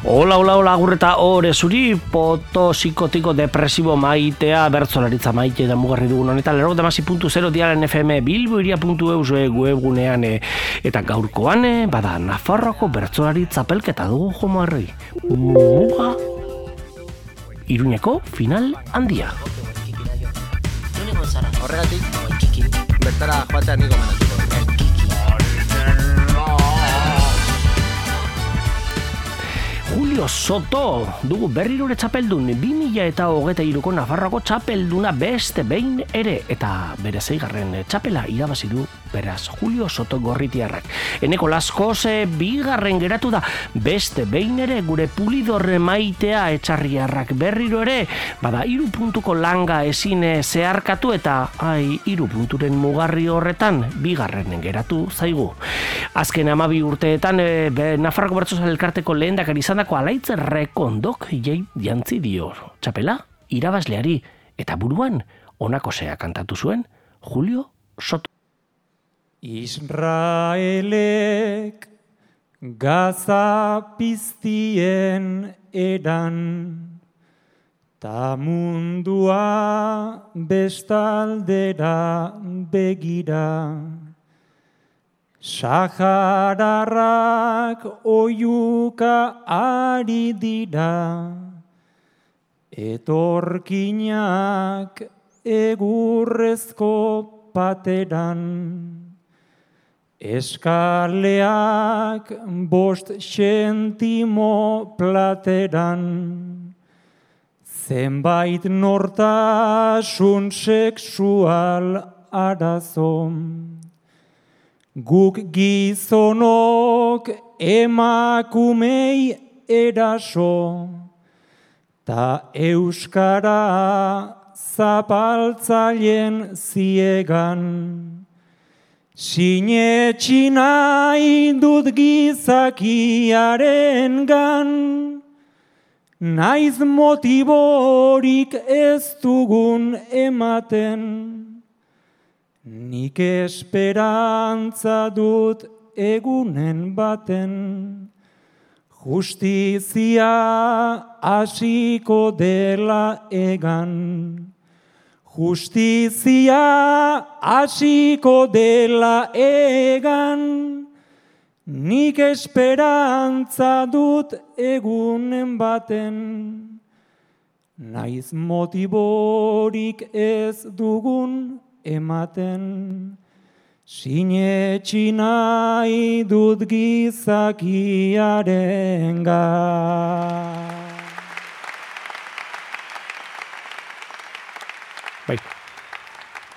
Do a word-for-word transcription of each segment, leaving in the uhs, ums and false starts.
Hola, hola, hola, agurreta ore zuri, poto psikotiko depresibo maitea, bertzolaritza maite da mugarri dugun honetan, lerrok damasi puntu zero diaren F M bilboiria puntu eus webgunean, eta gaurkoan, bada, Nafarroako bertzolari txapelketa dugu jomarri. Muga, Iruñeko final handia. Horregatik, bertara joatea niko menatuko. Julio Soto dugu berrirore txapeldun bi mila eta hogeita hiruko Nafarroako txapelduna beste behin ere, eta bere zeigarren txapela irabazi du beraz Julio Soto gorritiarrak. Eneko Laskoz bigarren geratu da beste behin ere gure Pulidor maitea etxarriarrak berriro ere, bada hiru puntuko langa ezin zeharkatu eta ai hiru punturen mugarri horretan bigarren geratu zaigu. Azken hamabi urteetan e, Nafarroako bertsozale elkarteko lehendakari izandako Alaitz Rekondok jei jantzi dio txapela irabazleari eta buruan honako zea kantatu zuen Julio Soto. Israelek Gaza piztien eran, ta mundua bestaldera begira. Sahararrak oiuka ari dira, etorkinak egurrezko pateran. Eskaleak bost sentimo plateran, zenbait nortasun sexual arazom. Guk gizonok emakumei eraso, ta euskara zapaltzaileen ziegan. Sinetxi nahi dut gizakiaren gan, naiz motiborik ez dugun ematen. Nik esperantza dut egunen baten, justizia hasiko dela egan. Justizia hasiko dela egan, nik esperantza dut egunen baten. Naiz motiborik ez dugun ematen, sinetxi nahi dut gizakiarengan. Bai.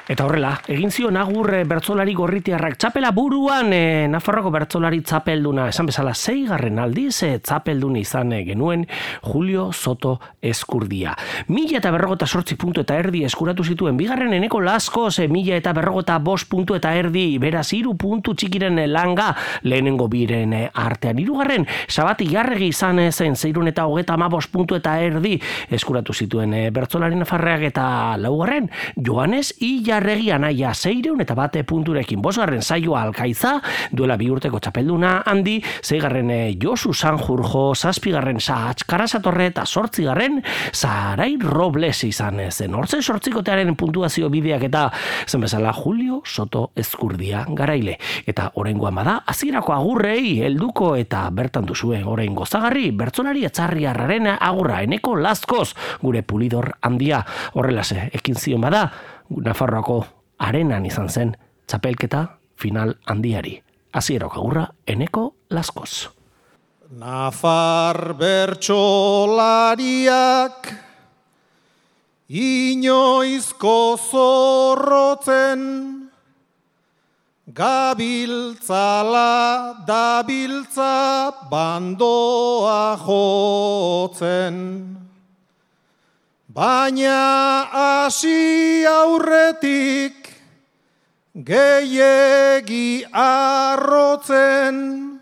Eta horrela, egin zion agur bertzolari gorritiarrak txapela buruan, e, Nafarroako bertzolari txapelduna, esan bezala zeigarren aldiz, e, txapeldun izan genuen Julio Soto Eskurdia. Mila eta berrogota sortzi puntu eta erdi eskuratu zituen, bigarren Eneko Laskoz, e, mila eta berrogota bost puntu eta erdi, beraz hiru puntu txikiren langa, lehenengo biren artean. Hirugarren, Sabati Jarregi izan zen, zeirun eta hogeta ama bost puntu eta erdi eskuratu zituen e, bertzolari nafarreak, eta laugarren, Joanes Illa Arregi anaia seireun eta bate punturekin. Bosgarren Saioa Alkaiza, duela bi urteko txapelduna handi, zeigarren Josu Sanjurjo, zazpigarren Sahatz Karasatorre eta sortzigarren Zarai Robles izan zen. Hortzen sortzikotearen puntuazio bideak eta zen bezala Julio Soto Eskurdia garaile. Eta oraingoan bada, hasierako agurrei helduko eta bertan duzue orain gozagarri, bertzolari etxarriarraren agurra, Eneko Laskoz, gure Pulidor handia. Horrelase, ekin zion bada, Nafarroako arenan izan zen txapelketa final handiari. Hasierako agurra Eneko Laskoz. Nafar bertsolariak inoizko zorrotzen, gabiltzala dabiltza bandoa jotzen. Baina hasi aurretik gehiegi arrotzen,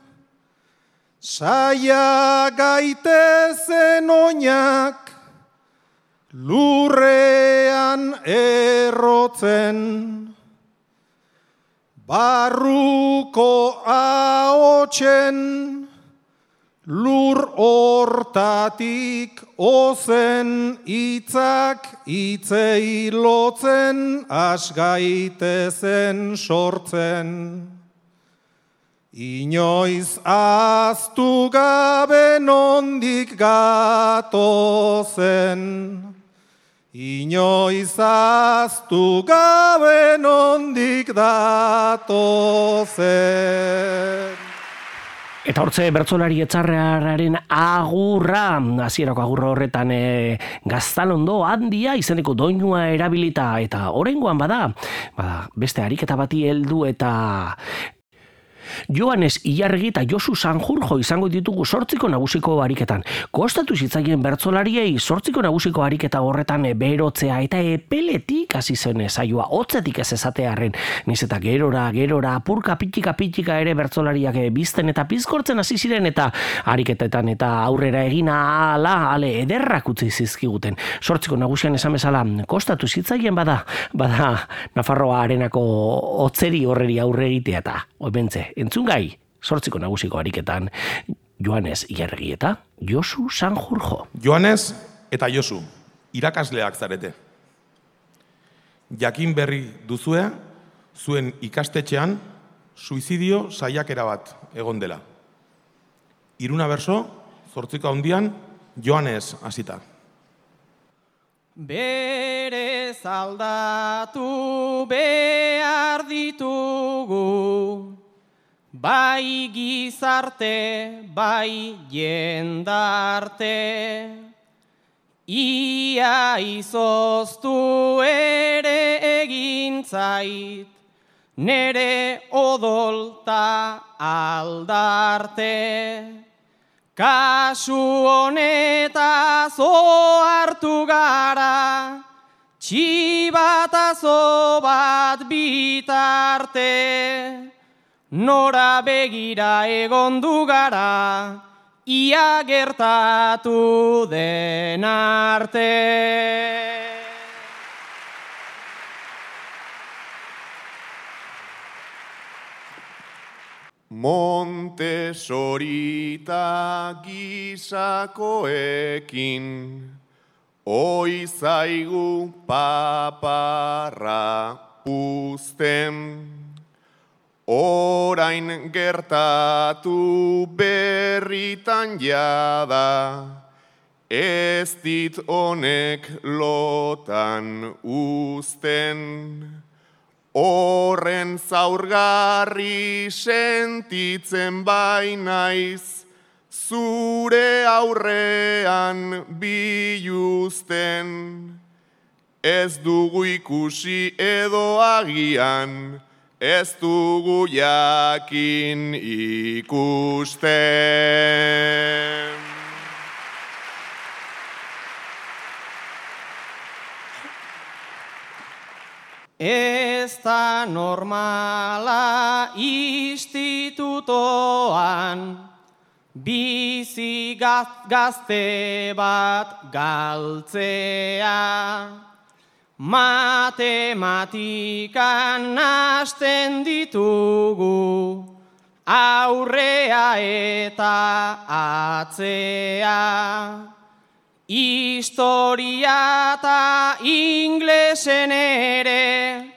saia gaitezen oinak lurrean errotzen. Barruko ahotsen Lur hortatik ozen hitzak hitzei lotzen asgaitezen sortzen. Inoiz ahaztu gabe nondik gatozen. Inoiz ahaztu gabe nondik datozen. Eta hortze bertsolari etxarrearen agurra, hasierako agurra horretan e, Gaztalondo handia izeneko doinua erabilita, eta oraingoan bada, bada beste ariketa bati heldu eta Joanes Ilarregi eta Josu Sanjurjo izango ditugu zortziko nagusiko ariketan. Kostatu zitzaien bertsolariei zortziko nagusiko ariketa horretan berotzea eta epeletik hasi zen saioa, hotzetik ez esatearren. Niz eta gerora, gerora, apurka pitika pitika ere bertsolariak bizten eta pizkortzen hasi ziren eta ariketetan eta aurrera egina ala, ale ederrak utzi zizkiguten. Zortziko nagusian esan bezala, kostatu zitzaien bada, bada Nafarroa arenako hotzeri horreri aurre egitea eta oibentze. Entzungai, zortziko nagusiko ariketan, Joanes Ilarregi eta Josu Sanjurjo. Joanes eta Josu, irakasleak zarete. Jakin berri duzue, zuen ikastetxean, suizidio saiakera bat egon dela. Iruna berso, zortziko handian, Joanes hasita. Berez aldatu behar ditugu, bai gizarte, bai jendarte, ia izoztu ere egin zait, nere odolta aldarte. Kasu honetaz ohartu gara, txibatazo bat bitarte. Nora begira egondu gara, ia gertatu den arte. Montesorita gisakoekin, oi zaigu paparra puzten. Orain gertatu berritan jada, ez dit honek lotan uzten. Horren zaurgarri sentitzen bainaiz, zure aurrean biluzten. Ez dugu ikusi edo agian, ez dugu jakin ikusten. Ez da normala institutoan, bizi gazte bat galtzea. Matematikan hasten ditugu, aurrea eta atzea. Historia eta inglesen ere,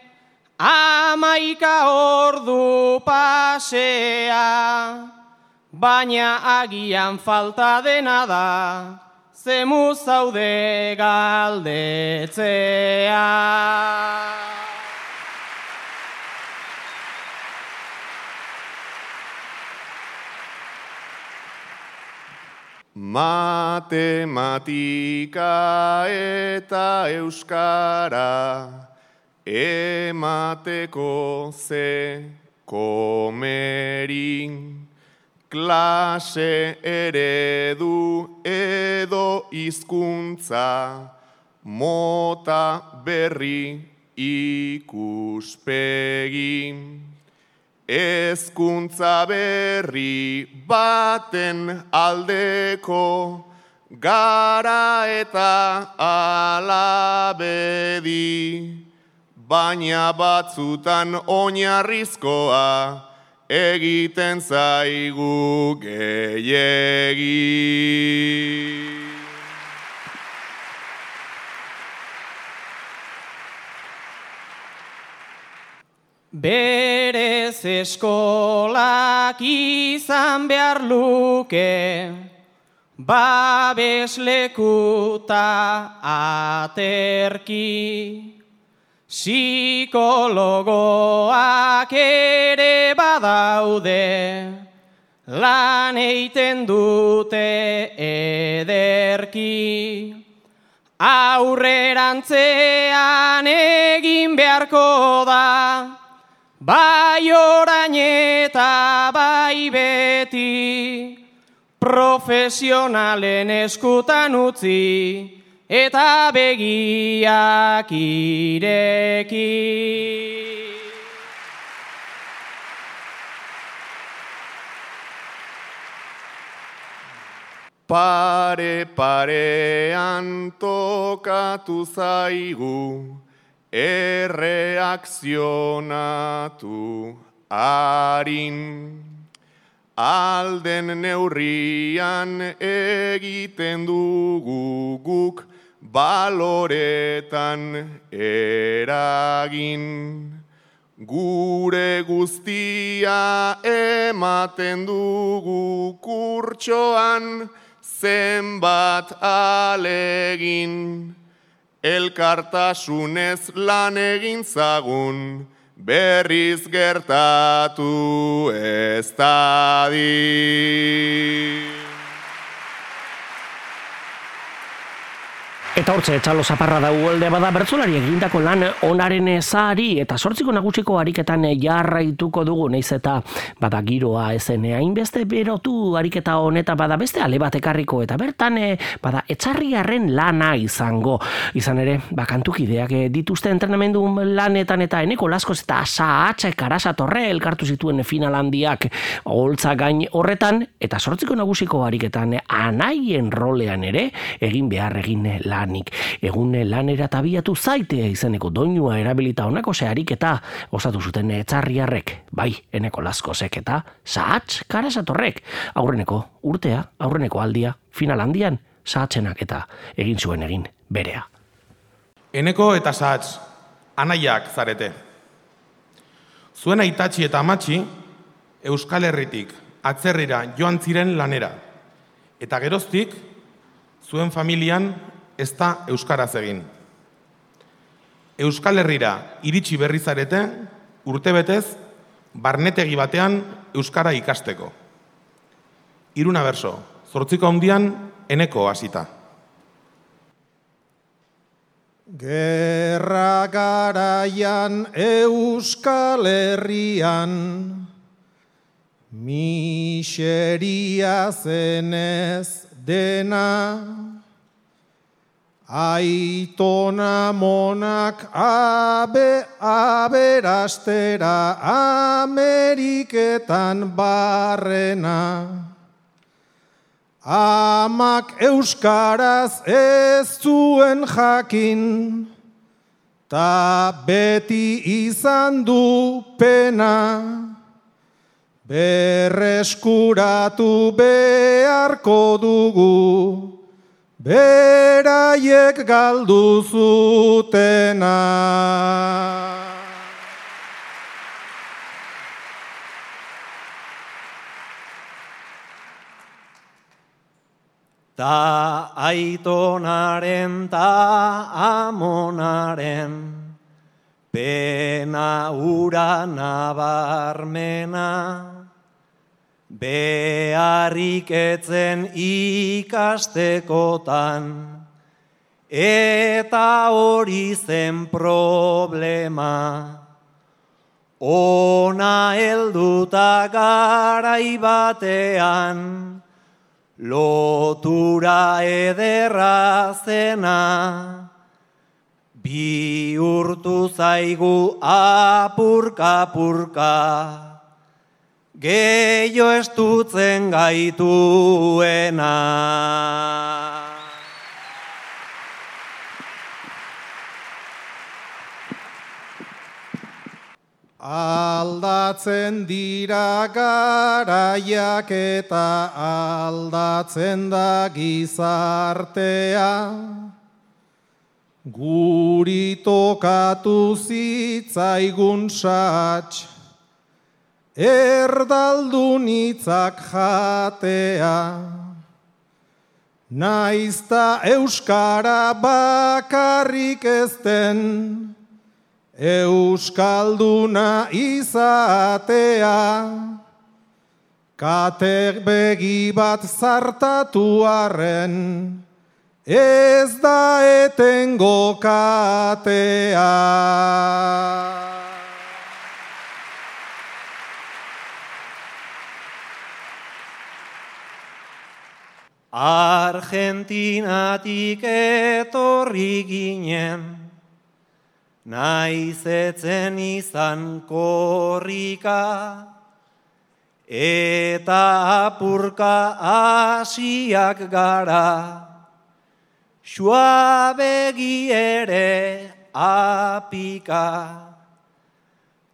amaika ordu pasea. Baina agian falta dena da, zemu zaude galdetzea. Matematika eta euskara, emateko ze komerin. Klase eredu edo hizkuntza, mota berri ikuspegin. Hezkuntza berri baten aldeko, gara eta alabedi. Baina batzutan oinarrizkoa, egiten zaigu gehiegi. Berez eskolak izan behar luke, babeslekuta aterki. Psikologoak ere badaude, lan eiten dute ederki. Aurrerantzean egin beharko da, bai orain eta bai beti, profesionalen eskutan utzi eta begiak ireki. Pare parean tokatu zaigu, erreakzionatu harin. Alden neurrian egiten dugu guk baloretan eragin. Gure guztia ematen dugu kurtsoan, zenbat alegin. Elkartasunez lan egin zagun, berriz gertatu ez dadin. Eta hortze, txalo zaparra da uolde bada bertsolari egindako lan onaren ezari eta sortziko nagusiko ariketan jarraituko dugu, naiz eta bada giroa ezen hainbeste berotu ariketa honetan bada beste ale bat ekarriko eta bertan bada etxarriarren lana izango. Izan ere, bakantukideak dituzte entrenamendu lanetan eta Eneko Laskoz eta Sahatz Karasatorre elkartu zituen final handiak holtza gain horretan eta sortziko nagusiko ariketan anaien rolean ere egin behar egin lan. Egun lanera tabiatu zaite izeneko doinua erabilita honako zehariketa osatu zuten etxarriarrek, bai, Eneko Laskozek eta Sahatz Karasatorrek. Aurreneko urtea, aurreneko aldia, final handian, Sahatzenak eta egin zuen egin berea. Eneko eta Sahatz, anaiak zarete. Zuen aitatxi eta amatxi, Euskal Herritik atzerrira joan ziren lanera. Eta geroztik, zuen familian ez da euskaraz egin. Euskal Herrira iritsi berri zarete, urtebetez, barnetegi batean euskara ikasteko. Hiruna berso, zortziko handian Eneko hasita. Gerra garaian Euskal Herrian, miseria zenez dena, aitona monak abe aberastera Ameriketan barrena. Amak euskaraz ez zuen jakin, ta beti izan du pena. Berreskuratu beharko dugu, beraiek galdu zutena. Ta aitonaren ta amonaren, pena ura nabarmena, beharrik etzen ikastekotan, eta hori zen problema. Ona helduta garai batean, lotura ederra zena, bihurtu zaigu apurka-apurka, gehiago estutzen gaituena. Alda Aldatzen dira garaiak eta aldatzen da gizartea. Guri tokatu zitzaigun sats, erdaldun hitzak jatea. Naizta euskara bakarrik ezten, euskalduna izatea. Kate begi bat zartatu arren, ez da etengo katea. Argentinatik etorri ginen, naiz etzen izan korrika, eta apurka hasiak gara, suabegi ere apika.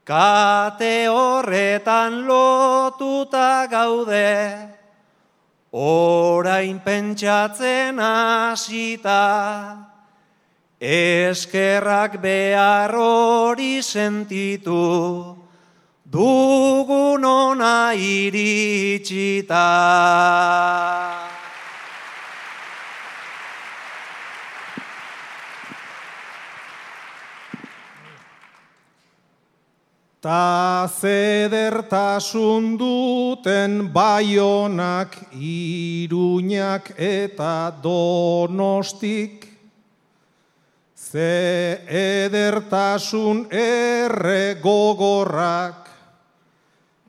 Kate horretan lotuta gaude, orain pentsatzen hasita, eskerrak behar hori sentitu, dugun ona iritsita. Ta zedertasun duten Baionak, Iruñak eta Donostik, ze edertasun erre gogorrak,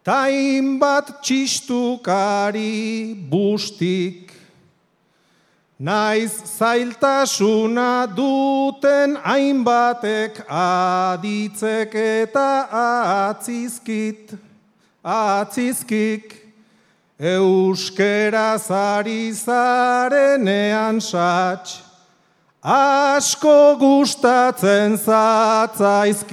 ta hainbat txistukari bustik. Naiz zailtasuna duten hainbatek aditzek eta atzizkit, atzizkik. Euskeraz ari zarenean sats, asko gustatzen zatzaizkit.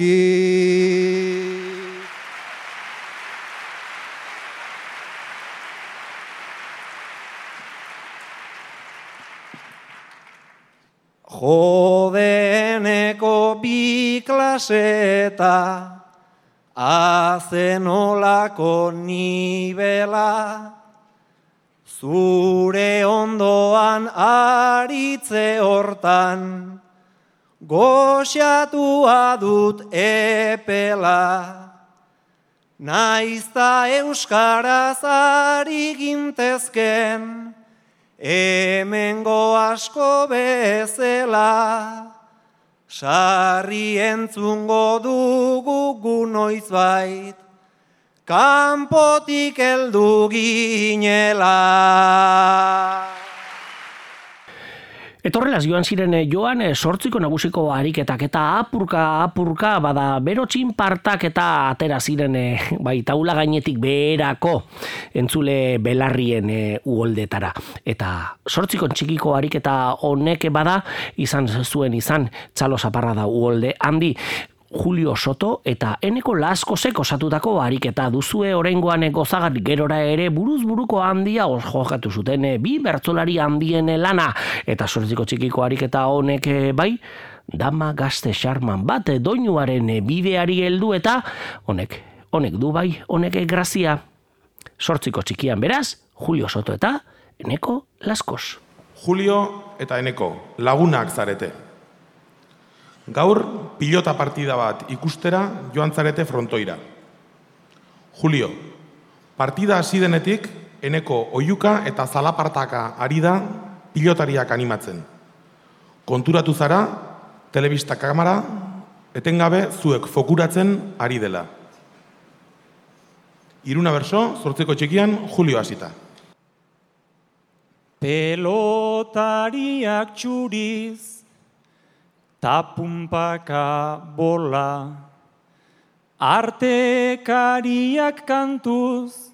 Jodeneko bi klaseta, azenolako nibela, zure ondoan aritze hortan, goxatua dut epela. Naizta euskaraz ari gintezken, hemengo asko bezala, sarri entzungo dugu gu noizbait, kanpotik heldu ginela. Etorrelaz joan ziren joan sortziko nagusiko ariketak eta apurka apurka bada bero txinpartak eta atera ziren bai taula gainetik beherako entzule belarrien uholdetara. Eta sortziko txikiko ariketa honek bada izan zuen izan Txalo Zaparrada uholde handi, Julio Soto eta Eneko Laskosek osatutako ariketa duzue oraingoan gozagarri gerora ere buruz buruko handia jokatu zuten bi bertsolari handien lana eta sortziko txikiko ariketa honek bai dama gazte xarman bat doinuaren bideari heldu eta honek honek du bai honek grazia. Sortziko txikian beraz Julio Soto eta Eneko Laskos. Julio eta Eneko lagunak zarete. Gaur, pilota partida bat ikustera joan zarete frontoira. Julio, partida hasi denetik, Eneko oihuka eta zalapartaka ari da pilotariak animatzen. Konturatu zara, telebista kamera, etengabe zuek fokuratzen ari dela. Iruna berso, sortzeko txikian, Julio hasita. Pelotariak txuriz, tapunpaka bola, artekariak kantuz,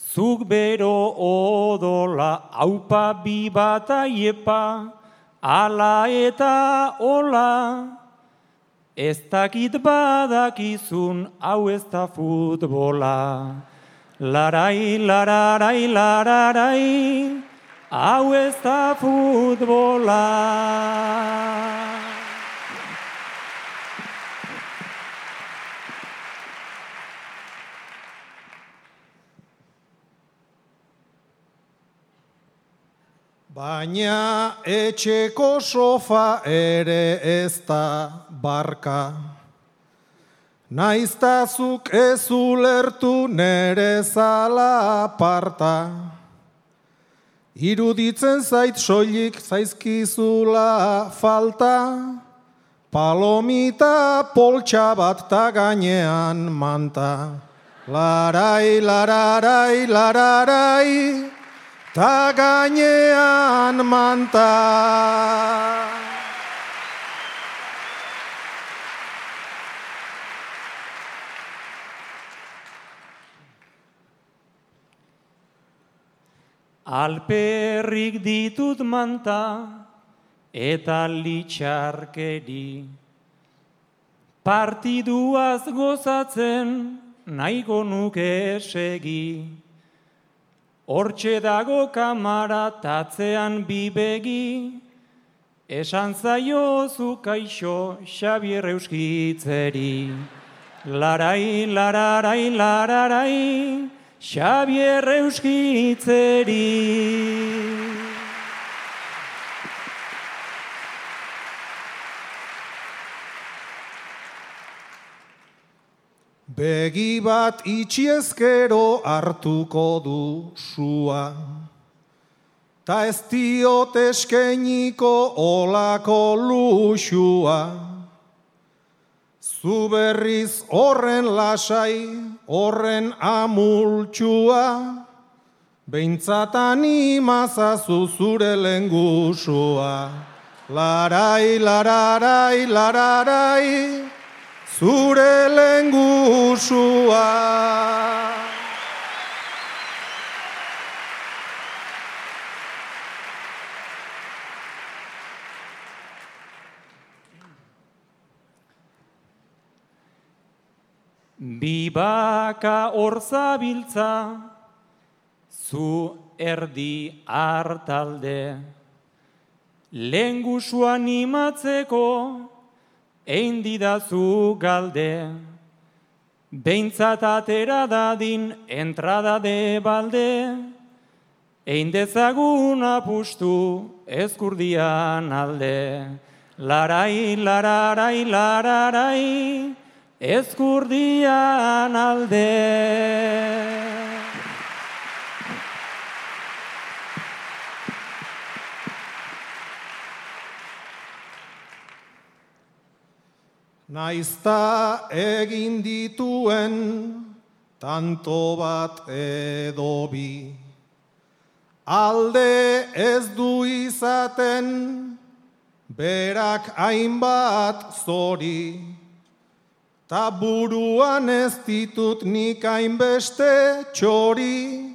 zuk bero odola, aupa bi bat aiepa, ala eta ola, ez dakit badakizun hau ez da futbola. Larai, lararai, lararai, hau ez da futbola. Baina etxeko sofa ere ez da barka. Naiztazuk ez ulertu nere zala aparta. Iruditzen zait soilik zaizkizula falta. Palomita poltsa bat ta gainean manta. Larai, lararai, lararai, ta gainean manta. Alperrik ditut manta eta litxarkeri. Partiduaz gozatzen nahiko nuke segi. Hortxe dago kamara tatzean bibegi, esan zaiozu kaixo Xabier Euskitzeri. Larai, lararai, lararai, Xabier Euskitzeri. Begi bat itxiezkero hartuko du sua, ta ez diot eskeniko olako luxua. Zu berriz horren lasai, horren amultxua, behintzat animazazu zure lengusua. Larai, lararai, lararai, zure lengusua. Bibaka hor zabiltza, zu erdi hartalde. Lengusua animatzeko, ein didazu galde, behintzat atera dadin entrada de balde, ein dezagun apustu ezkurdian alde. Larai, lararai, lararai, ezkurdian alde. Naizta egin dituen tanto bat edo bi, alde ez du izaten berak hainbat zori, ta buruan ez ditut nik hainbeste txori,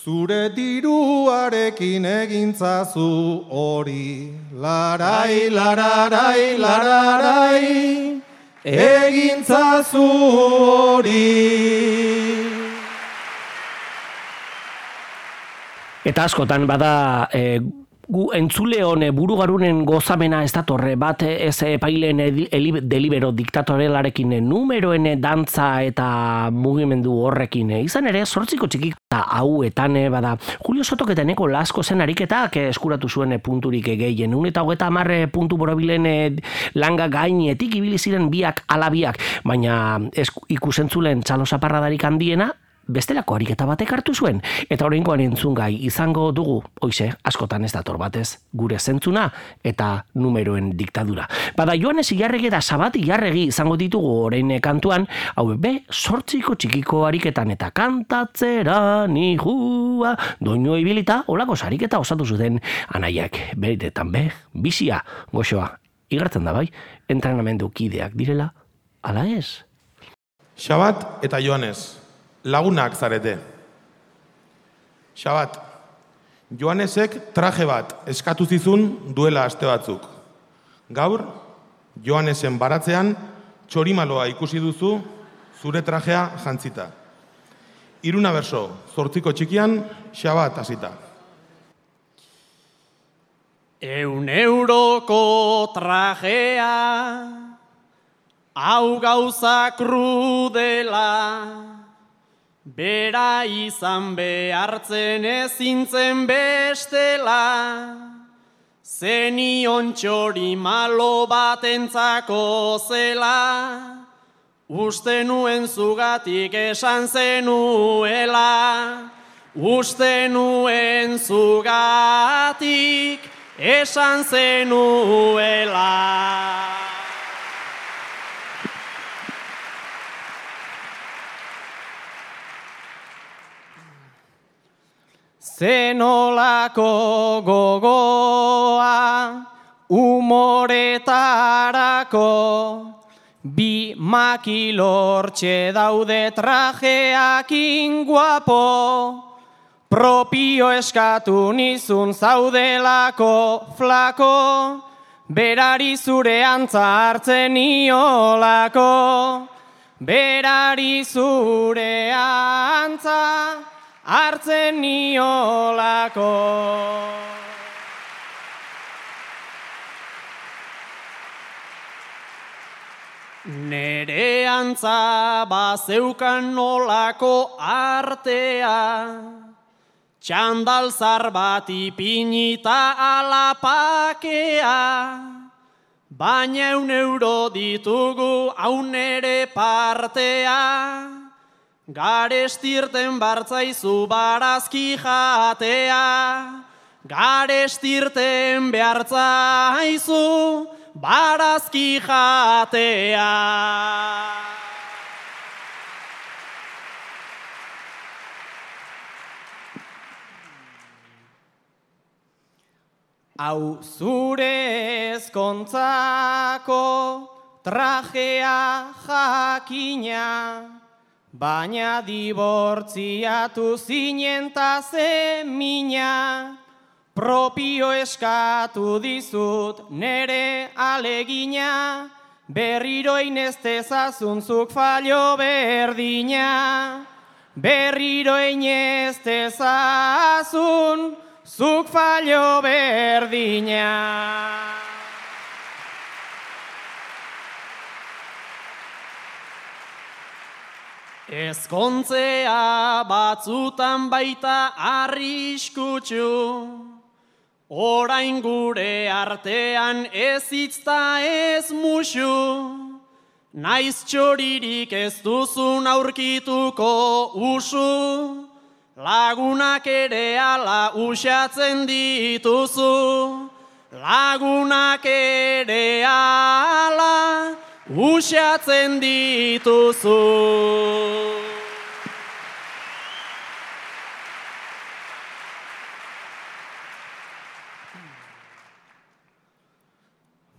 zure diruarekin egintzazu hori. Larai, lararai, lararai, egintzazu hori. Eta askotan bada e, gu entzuleon burugarunen gozamena ez datorre bat ez epaileen delibero diktatorelarekin numeroen dantza eta mugimendu horrekin. Izan ere, zortziko txikik eta hauetan bada Julio Sotoketeneko Lasko zen ariketak eskuratu zuen punturik gehien. Un eta hogeita hamar puntu borobilen langa gainetik ibili ziren biak alabiak, baina ikusentzulen txalosaparradarik handiena bestelako ariketa batek hartu zuen, eta oraingoan entzungai izango dugu, hoize, askotan ez dator batez, gure zentzuna eta numeroen diktadura. Bada Joanes Ilarregi eta Sabat Ilarregi izango ditugu orain kantuan, hau be, sortziko txikiko ariketan eta kantatzera nihua, doino ibilita, olako sariketa osatu zuten anaiak, beretetan be, bizia, goxoa, igartzen da bai, entrenamendu kideak direla, ala ez? Sabat eta Joanes, lagunak zarete. Sabat, Joanesek traje bat eskatu zizun duela aste batzuk. Gaur, Joanesen baratzean, txorimaloa ikusi duzu, zure trajea jantzita. Iruna berso, zortziko txikian, xabat hasita. Eun euroko trajea, hau gauza krudela, bera izan behartzen ezintzen bestela, zenion txori malo batentzako zela, uste nuen zugatik esan zenuela, uste nuen zugatik esan zenuela. Zenolako gogoa umoretarako, bi makilortxe daude trajeakin guapo, propio eskatu nizun zaudelako flako, berari zure antza hartzen niolako, berari zure antza hartzen niolako. Nere antza bazeukan nolako artea, txandalzar bat ipinita alapakea, baina eun euro ditugu hau nere partea, garestirten bartzaizu barazki jatea, garestirten behartzaizu barazki jatea. Hau zure ezkontzako trajea jakina, baina dibortziatu zinen ta zemina, propio eskatu dizut nere alegina, berriro inestezazunzuk fallo berdina, berriro inestezazun zuk fallo berdina. Ezkontzea batzutan baita arriskutsu, orain gure artean ez hitzta ez musu, naiz txoririk ez duzun aurkituko usu, lagunak ere ala usatzen dituzu, lagunak ere ala usatzen dituzu.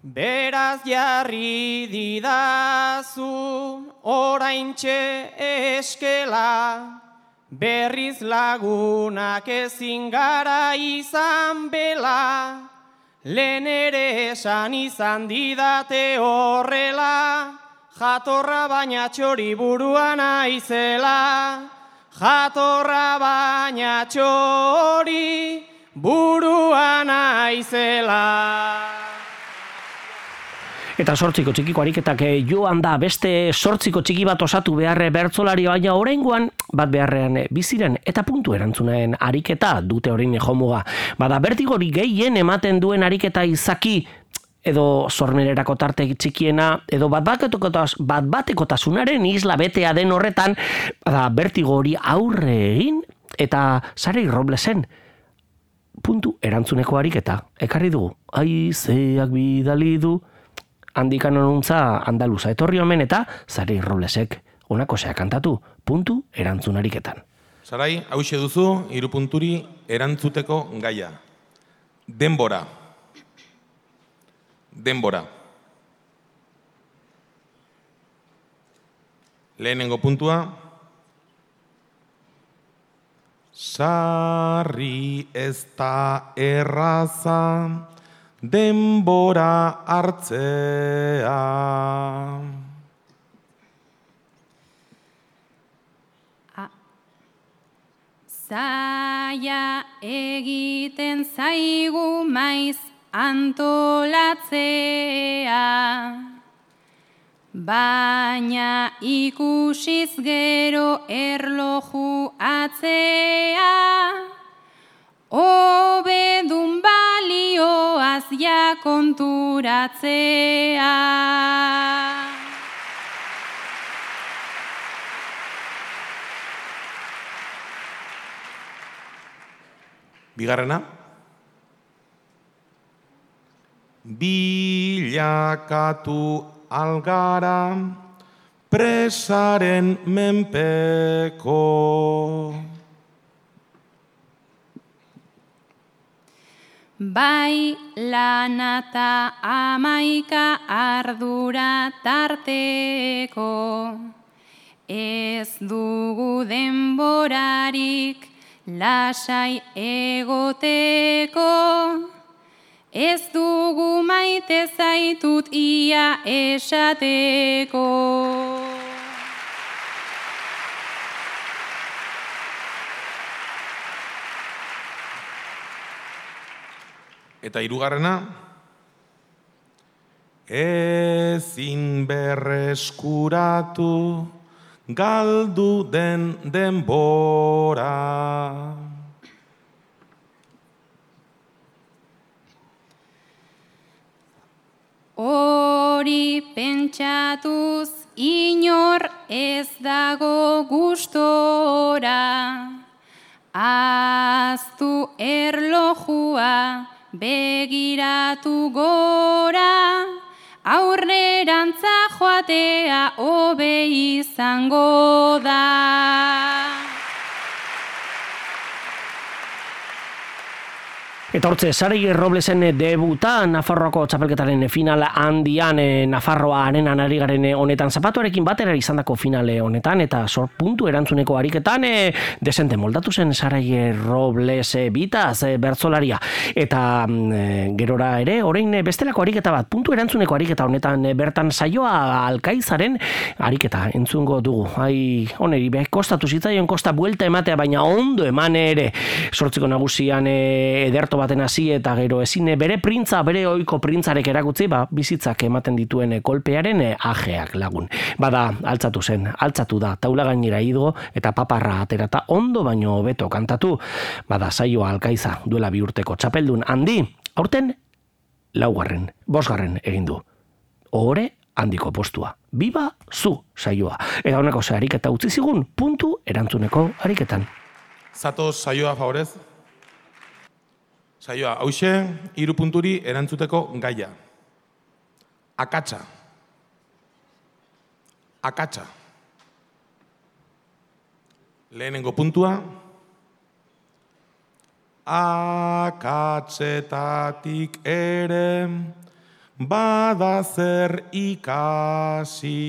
Beraz jarri didazu oraintxe eskela, berriz lagunak ezin gara izan bela, lehen ere esan izan didate horrela, jatorra baina txori buruan aizela, jatorra baina txori buruan aizela. Eta sortziko txikiko ariketak joan da beste sortziko txiki bat osatu beharre bertzolari, baina oraingoan bat beharrean biziren eta puntu erantzunaen ariketa dute orain jomuga. Bada bertigori gehien ematen duen ariketa izaki edo sormererako tarte txikiena edo bat batekotasunaren isla betea den horretan, bada bertigori aurre egin eta Sarei Roblesen puntu erantzuneko ariketa ekarri dugu. Haizeak bidali du handikan honuntza andaluza etorri omen eta Sarei Roblesek honako zea kantatu, puntu erantzunariketan. Sarai, hauxe duzu, hiru punturi erantzuteko gaia. Denbora. Denbora. Lehenengo puntua. Sarri ez da erraza, denbora hartzea. Zaila egiten zaigu maiz antolatzea, baina ikusiz gero erloju atzea, hobedun balioaz ja konturatzea. Bigarrena. Bilakatu algara presaren menpeko. Bai lanata amaika ardura tarteko, ez dugu denborarik lasai egoteko, ez dugu maite zaitut ia esateko. Eta hirugarrena, ezin berreskuratu galdu den denbora. Hori pentsatuz inor ez dago gustora, ahaztu erlojua begiratu gora, aurrerantza joatea hobe izango da. Eta hortze, Sarayer Roblesen debuta Nafarroako txapelketaren finala handian, e, Nafarroa arenan ari garen honetan, zapatuarekin batera izandako finale honetan, eta sor puntu erantzuneko ariketan, e, desente moldatu zen Sarayer Robles e, bitaz e, bertzolaria. Eta e, gerora ere, orain e, bestelako ariketa bat, puntu erantzuneko ariketa honetan, e, bertan saioa Alkaizaren ariketa entzungo dugu. Ai, oneri, be, kostatu zitzaion, kosta buelta ematea, baina ondo eman ere, sortziko nagusian e, ederto baten hasi eta gero ezin bere printza, bere ohiko printzarek erakutzi, ba, bizitzak ematen dituen kolpearen ajeak lagun. Bada, altzatu zen, altzatu da, taula gainera ido eta paparra aterata ondo baino hobeto kantatu. Bada, saioa Alkaiza duela bi urteko txapeldun handi, aurten laugarren, bosgarren egin du. Ohore handiko postua. Biba zu saioa. Eta honeko ze ariketa utzi zigun, puntu erantzuneko ariketan. Zatoz saioa favorez? Saioa, hauxe, hiru punturi erantzuteko gaia. Akatsa. Akatsa. Lehenengo puntua. Akatsetatik ere bada zer ikasi.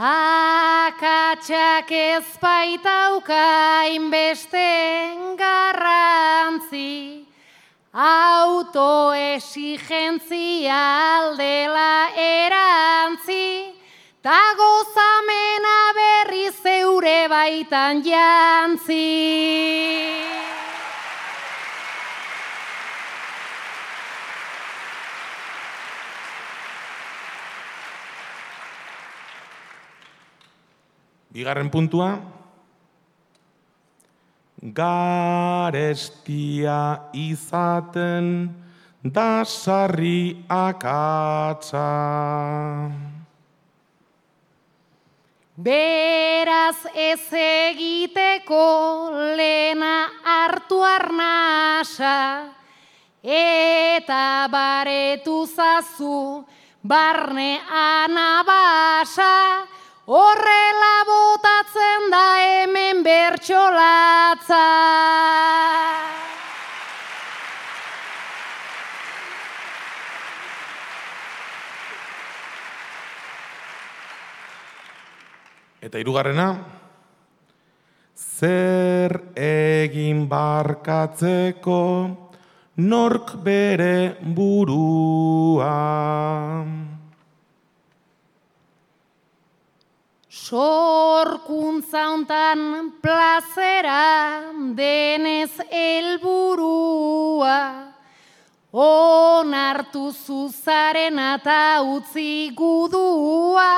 Akatsak ez baitauka inbeste garrantzi, autoexigentzia aldela erantzi, ta gozamena berri zeure baitan jantzi. Bigarren puntua, garestia izaten da sarri akatsa. Beraz ez egiteko lena hartu arnasa, eta baretu zazu barne anabasa, horrela botatzen da hemen bertsolatza. Eta hirugarrena, zer egin barkatzeko nork bere burua. Sorkuntza hontan plazera denez helburua, onartu zuzaren eta utzi gudua,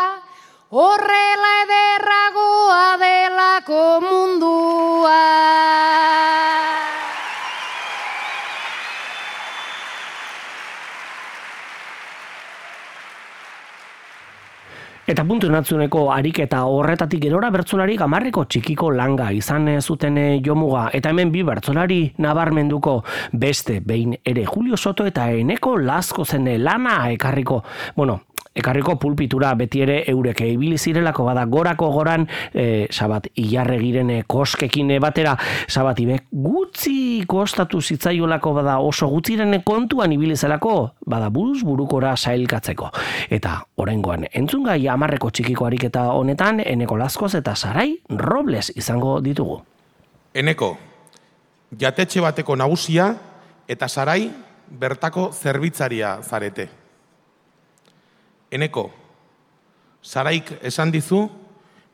horrela ederragoa delako mundua. Eta puntu natzuneko ariketa horretatik gerora bertsolari gamarreko txikiko langa izan zuten jomuga. Eta hemen bi bertsolari nabarmenduko beste behin ere Julio Soto eta Eneko Lazkozen lana ekarriko. Bueno, ekarriko pulpitura beti ere eurek ibili zirelako bada gorako goran e, Sabat Ilarregiren koskekin batera Sabat Ibek gutxi kostatu zitzaiolako bada oso gutxiren kontuan ibili zelako bada buruz burukora sailkatzeko. Eta oraingoan entzungai hamarreko txikiko ariketa honetan Eneko Lazkoz eta Sarai Robles izango ditugu. Eneko, jatetxe bateko nagusia eta Sarai bertako zerbitzaria zarete. Eneko, Saraik esan dizu,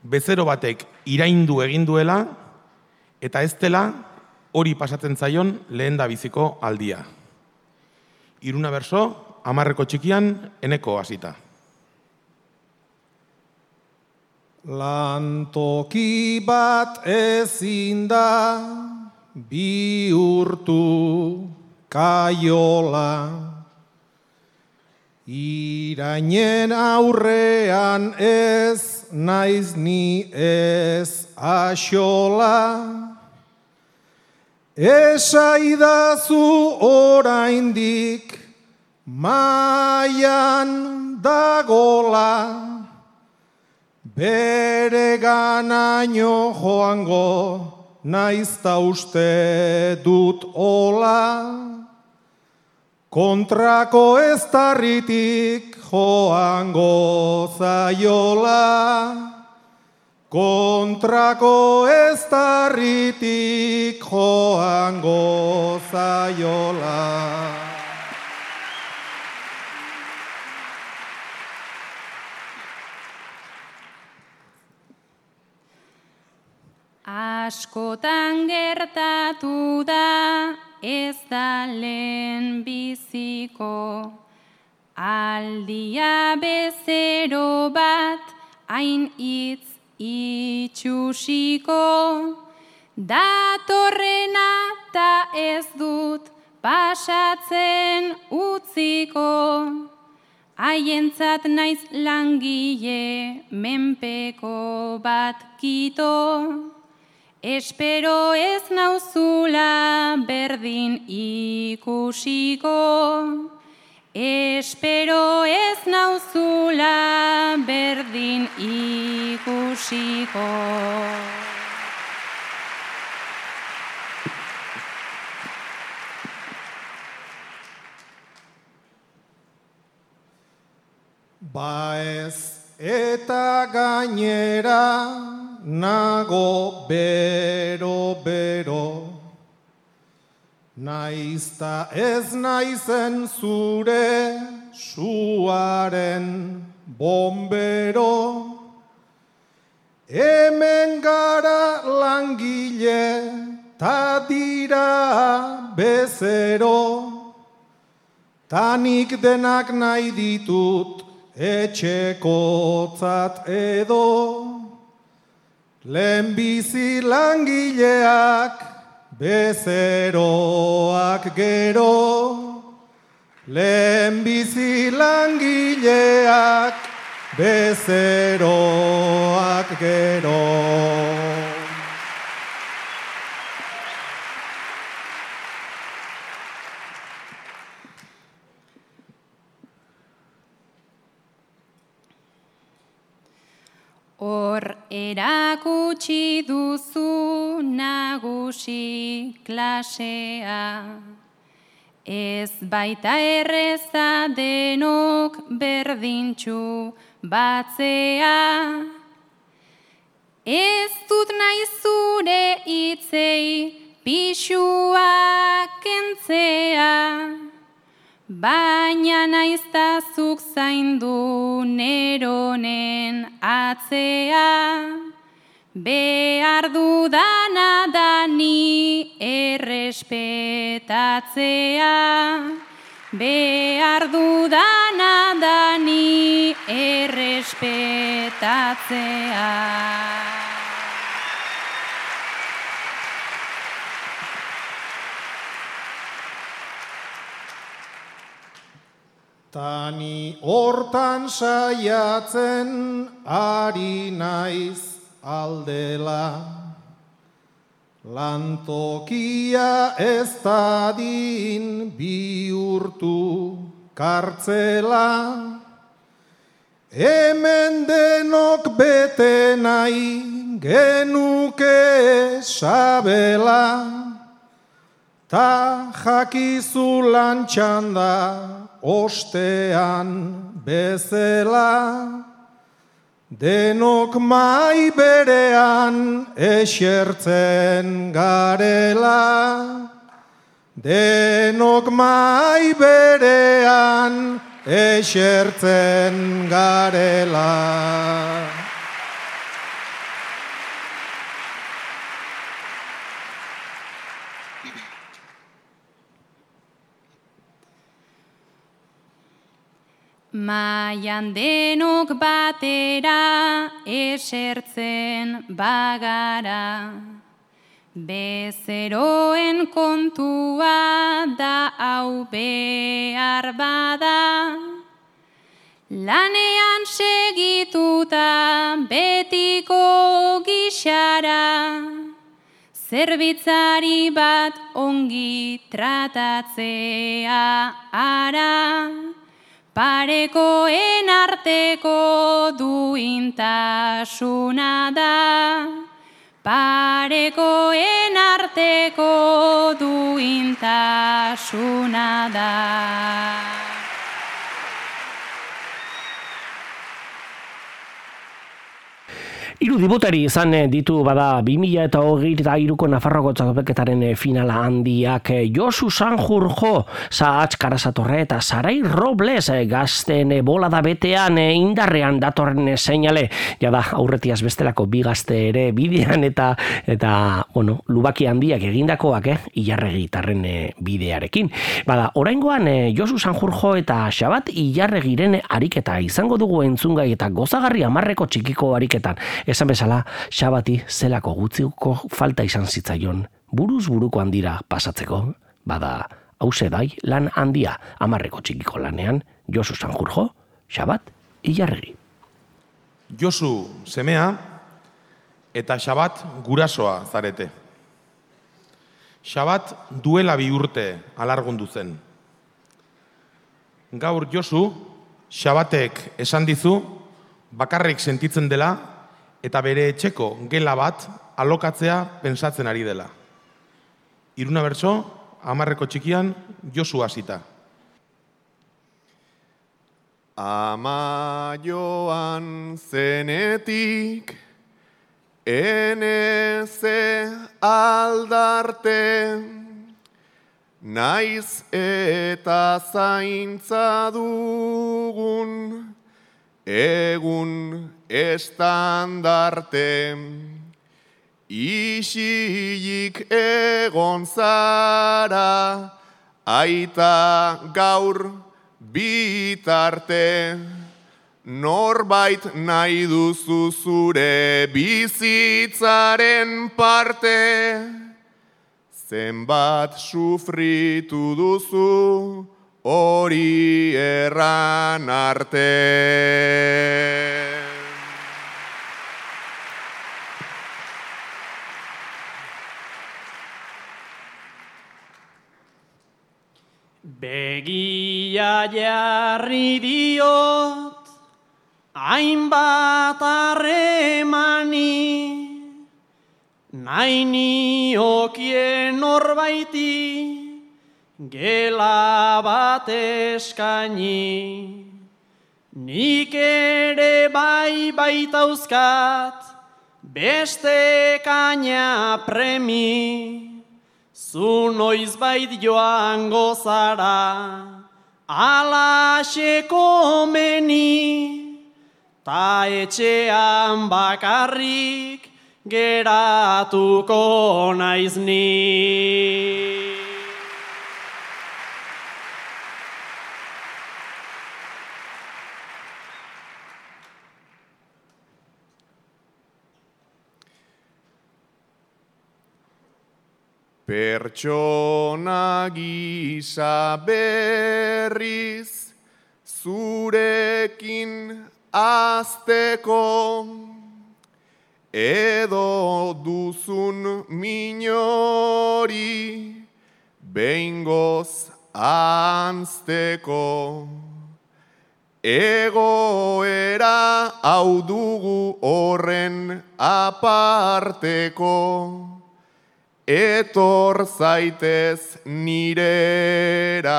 bezero batek iraindu egin duela, eta ez dela hori pasatzen zaion lehen da biziko aldia. Iruna berso, hamarreko txikian, Eneko hasita. Lantoki bat ezin da bihurtu kaiola, irainen aurrean ez naiz ni ez axola, esaidazu oraindik maian dagola, bere ganaino joango naizta uste dut ola, kontrako eztarritik joango zaiola, kontrako eztarritik joango zaiola. Askotan gertatu da, ez da lehen biziko, aldia bezero bat, hain hitz itxusiko, datorrena ta ez dut pasatzen utziko, haientzat naiz langile menpeko bat kito, espero ez nauzula berdin ikusiko, espero ez nauzula berdin ikusiko. Ba ez eta gainera nago bero-bero, naizta ez naizen zure suaren bombero, hemen gara langile ta dira bezero, tanik denak nahi ditut etxekotzat edo, lehenbizi langileak bezeroak gero, lehenbizi langileak bezeroak gero. Hor erakutsi duzu nagusi klasea, ez baita erreza denok berdintxu batzea. Ez dut nahi zure baina naiztazuk zaindu neronen atzea, behar dudana da ni errespetatzea, behar dudana da ni errespetatzea. Tani hortan saiatzen ari naiz aldela, lantokia ez dadin bihurtu kartzela, hemen denok bete nahi genuke sabela, ta jakizu lantxan da ostean bezela, denok mai berean esertzen garela, denok mai berean esertzen garela. Maian denok batera esertzen bagara, bezeroen kontua da hau behar bada, lanean segituta betiko gixara, zerbitzari bat ongi tratatzea ara, parekoen arteko duintasuna da, parekoen arteko duintasuna da. Hiru debutari izan ditu bada bi mila eta hogeita hiruko Nafarroako txapelketaren finala handiak. Josu Sanjurjo, Sahatz Karasatorre eta Sarai Robles gazten bolada betean indarrean datorren seinale. Jada aurretiaz bestelako bi gazte ere bidean eta eta bueno, lubaki handiak egindakoak, eh, Ilarregitarren bidearekin. Bada, oraingoan Josu Sanjurjo eta Xabat Ilarregiren ariketa izango dugu entzungai eta gozagarri hamarreko txikiko ariketan. Esan bezala, Xabati zelako gutziuko falta izan zitzaion buruz buruko handira pasatzeko, bada hause dai lan handia hamarreko txikiko lanean, Josu Sanjurjo, Xabat Ilarregi. Josu semea eta Xabat gurasoa zarete. Xabat duela bi urte alargundu zen. Gaur Josu, Xabatek esan dizu bakarrik sentitzen dela eta bere etxeko gela bat alokatzea pentsatzen ari dela. Iruna bertso, hamarreko txikian, Josu hasita. Ama joan zenetik, eneze aldarte, naiz eta zaintza dugun, egun estandarte, isilik egon zara, aita gaur bitarte, norbait nahi duzu zure bizitzaren parte, zenbat sufritu duzu hori erran arte. Begia jarri diot, hainbat harremani, nahi niokien norbaiti, gela bat eskaini. Nik ere bai baitauzkat, beste kaina premi, zu noizbait joango zara, alaxe komeni, ta etxean bakarrik geratuko naiz ni. Pertsona gisa berriz zurekin azteko, edo duzun minori behingoz anzteko. Egoera hau dugu horren aparteko, etor zaitez nirera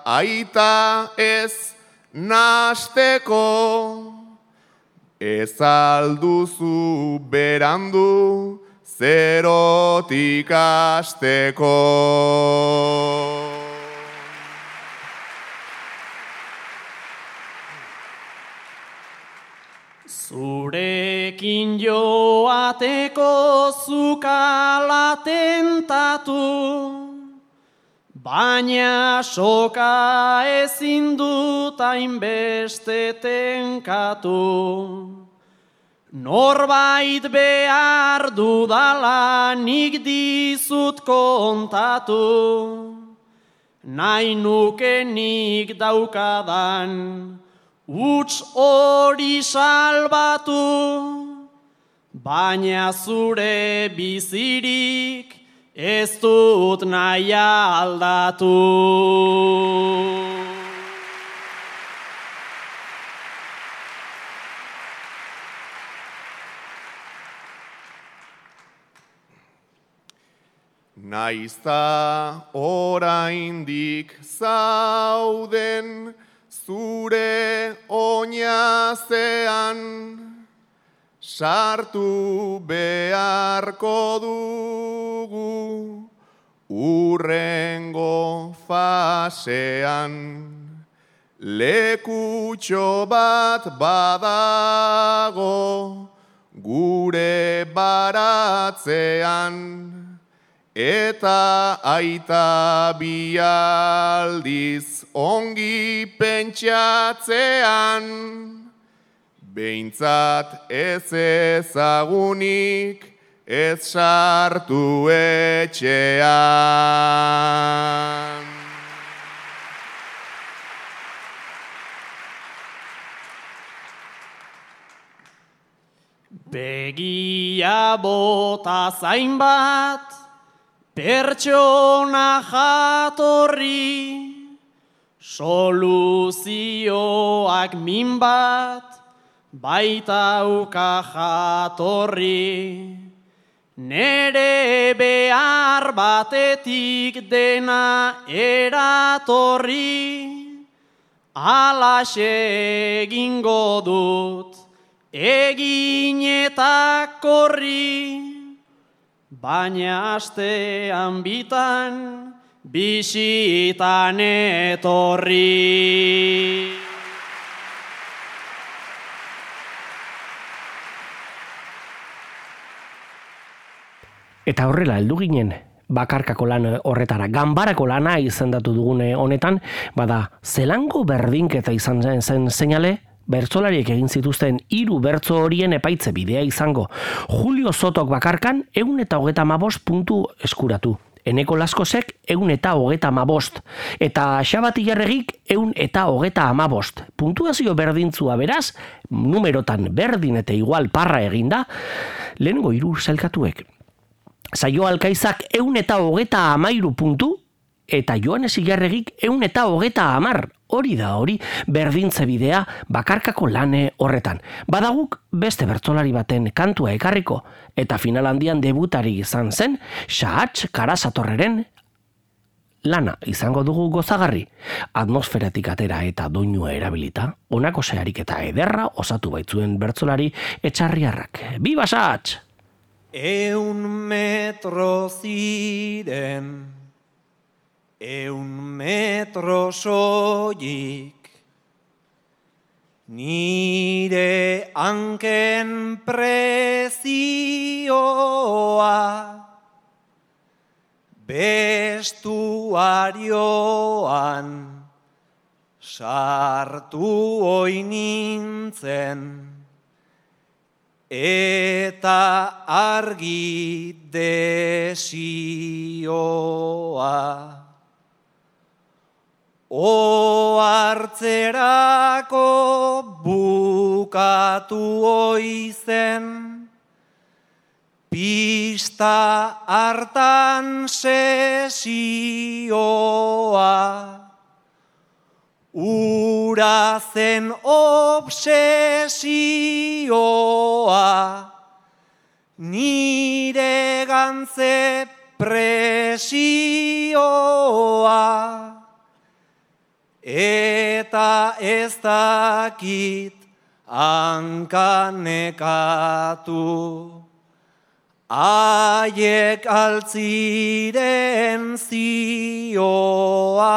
aita ez nasteko, ez alduzu berandu zerotik asteko. Zurekin joateko zukala tentatu, baina soka ezin dut hainbeste tenkatu. Norbait behar dudala nik dizut kontatu, nahi nuke nik daukadan uts hori salbatu, baina zure bizirik ez dut nahi aldatu. Naizta oraindik zauden zure oinazean, sartu beharko dugu urrengo fasean. Lekutxo bat badago gure baratzean, eta aita bi aldiz ongi pentsatzean, behintzat ez ezagunik ez sartu etxean. Begia bota zainbat, pertsona jatorri, soluzioak min bat, baitauka jatorri. Nere behar batetik dena eratorri, alaxe egingo dut, egin eta korri. Baina astean bitan, bisitan etorri. Eta horrela heldu ginen bakarkako lan horretara, ganbarako lana izendatu dugune honetan, bada zelango berdinketa izan zen zen seinale, bertsolariek egin zituzten hiru bertso horien epaitze bidea izango. Julio Sotok bakarkan ehun eta hogeita hamabost puntu eskuratu. Eneko Laskosek ehun eta hogeita hamabost. Eta Xabati Jarregik ehun eta hogeita hamabost. Puntuazio berdintzua beraz, numerotan berdin eta igual parra eginda, lehenengo hiru sailkatuek. Saio Alkaizak ehun eta hogeita hamairu puntu, eta Joanes Ilarregik ehun eta hogeita hamar. Hori da hori, berdintze bidea bakarkako lane horretan. Badaguk beste bertsolari baten kantua ekarriko, eta final handian debutari izan zen, Xahatx Karasatorreren lana izango dugu gozagarri. Atmosferatik atera eta doinua erabilita, honako seharik eta ederra osatu baitzuen bertsolari Etxarriarrak. Biba Xahatx! Eun metro ziren eun metro soilik, nire hanken prezioa, bestuarioan sartu oi nintzen, eta argi desioa. Ohartzerako bukatu oizen, pista hartan sesioa, ura zen obsesioa, nire gantze presioa, eta ez dakit hankanekatu. Aiek altziren zioa,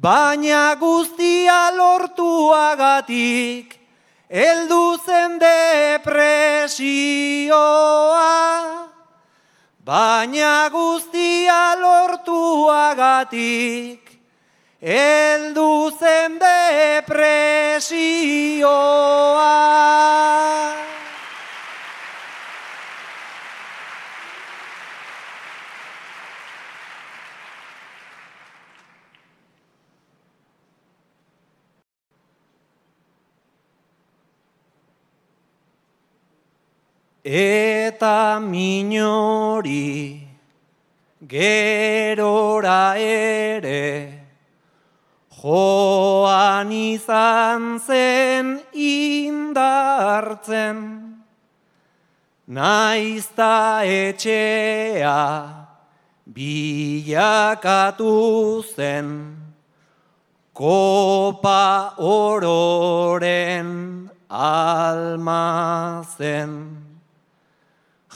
baina guztia lortuagatik, heldu zen depresioa. Baina guztia lortuagatik, heldu zen depresioa. Eta minori gerora ere joan izan zen indartzen, naizta etxea bilakatu zen kopa ororen almazen.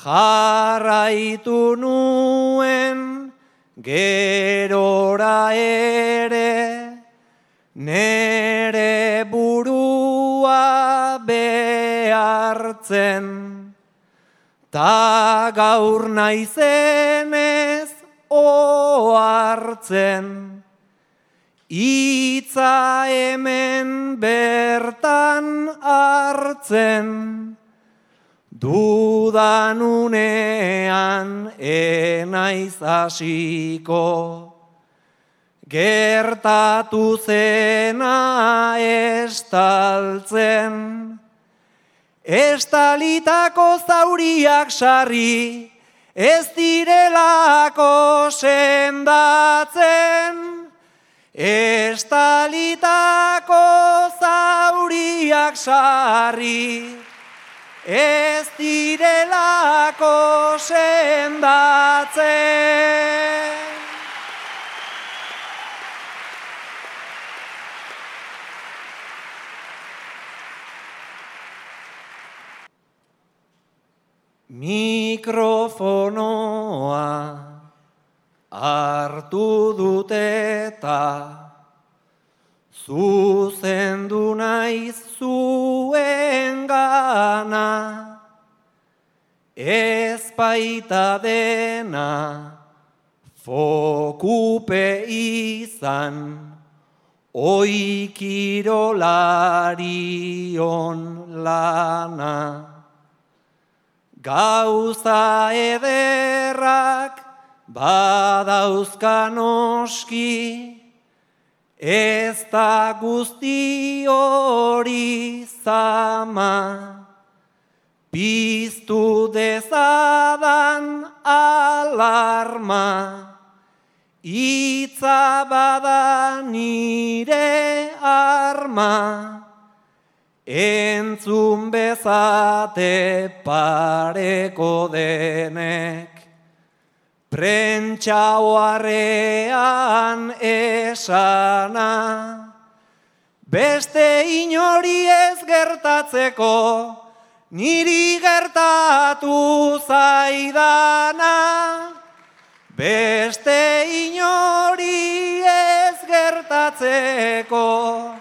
Jarraitu nuen gerora ere, nere burua behartzen, ta gaur naizenez ohartzen, hitza hemen bertan hartzen, dudan unean enaiz hasiko, gertatu zena estaltzen, estalitako zauriak sarri, ez direlako sendatzen, estalitako zauriak sarri, ez direlako sendatzen. Mikrofonoa hartu dut eta zuzendu naiz zuengana, ez baita dena fokupe izan, oi kirolarion lana. Gauza ederrak badauzka noski, ez da guzti hori zama, piztu dezadan alarma, hitza bada nire arma, entzun bezate pareko denek, prentsa oharrean esana, beste inori ez gertatzeko, niri gertatu zaidana, beste gertatzeko,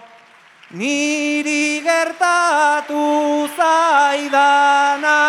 niri gertatu zaidana.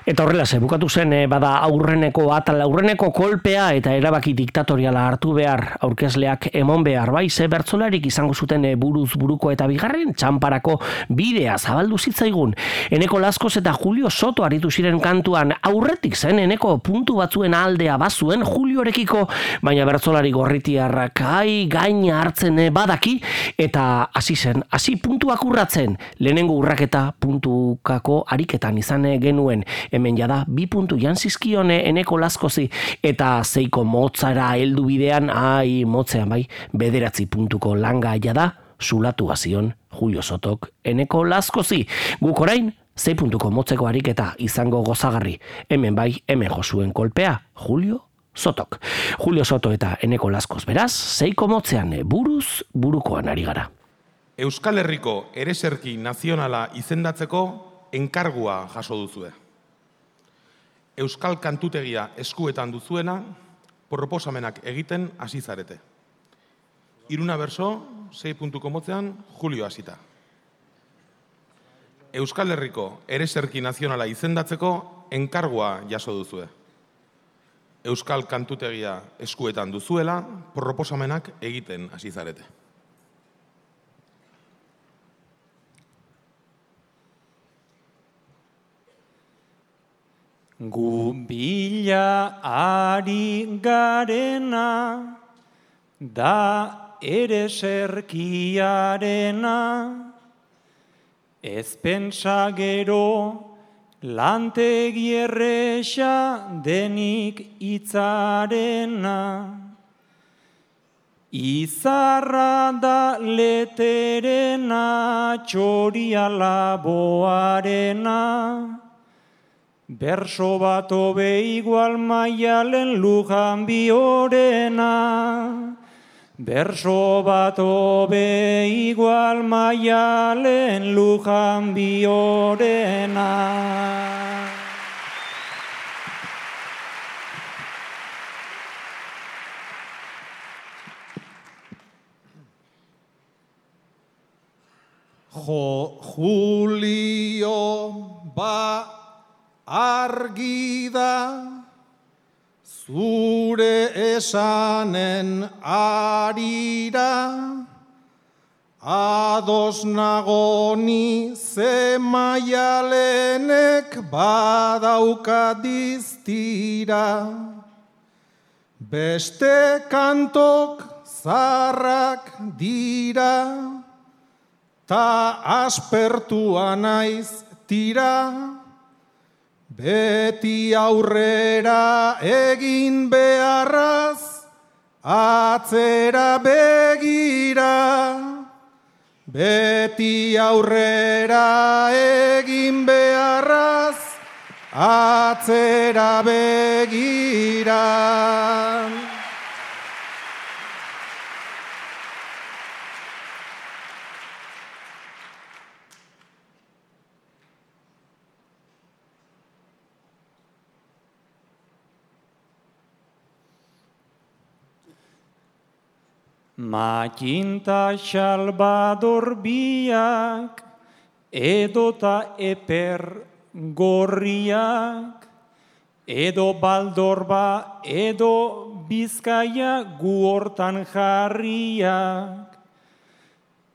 Eta horrela, ze bukatu zen, eh, bada aurreneko atal, aurreneko kolpea eta erabaki diktatoriala hartu behar, aurkezleak emon behar, bai, ze bertzolarik izango zuten eh, buruz buruko eta bigarren txamparako bidea zabaldu zitzaigun. Eneko Laskoz eta Julio Soto aritu ziren kantuan, aurretik zen eneko puntu batzuen aldea bazuen Juliorekiko, baina bertzolari gorritiarrak ai gaina hartzen eh, badaki, eta hasi zen, hasi puntuak urratzen, lehenengo urraketa puntukako ariketan izan eh, genuen, hemen jada bi puntu jantzizkione eneko Laskozi eta zeiko motzara heldu bidean, ai motzean bai, bederatzi puntuko langa jada zulatu bazion Julio Sotok eneko Laskozi. Guk orain, zei puntuko motzeko ariketa izango gozagarri. Hemen bai, hemen josuen kolpea, Julio Sotok. Julio Soto eta eneko Laskoz beraz, zeiko motzean buruz burukoan ari gara. Euskal Herriko ereserki nazionala izendatzeko enkargua jaso duzue. Euskal kantutegia eskuetan duzuena, proposamenak egiten hasi zarete. Iruna berso, sei puntuko motzean, Julio hasita. Euskal Herriko ereserki nazionala izendatzeko enkargua jaso duzue. Euskal kantutegia eskuetan duzuela, proposamenak egiten hasi zarete. Gu bila ari garena, da ereserkiarena, ez pentsa gero lantegi erresa denik itzarena. Izarra da leterena, txoria laboarena, berso bat hobe igual maialen lujan biorena. Berso bat hobe igual maialen lujan biorena. Jo, Julio, ba argi da, zure esanen arira, ados nagoni ze maialenek badauka diztira. Beste kantok zarrak dira, ta aspertua naiz tira. Beti aurrera egin beharraz, atzera begira. Beti aurrera egin beharraz, atzera begira. Makinta Salvador biak, edota eper gorriak, edo baldorba, edo Bizkaia gu hortan jarriak.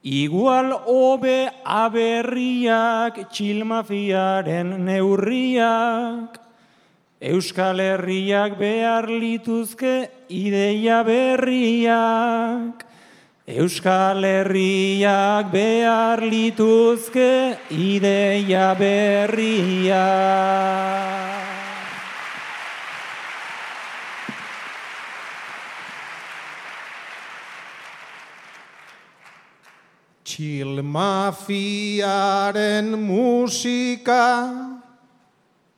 Igual hobe aberriak, txilmafiaren neurriak, Euskal Herriak behar lituzke ideia berriak. Euskal Herriak behar lituzke ideia berriak. Txilmafiaren musika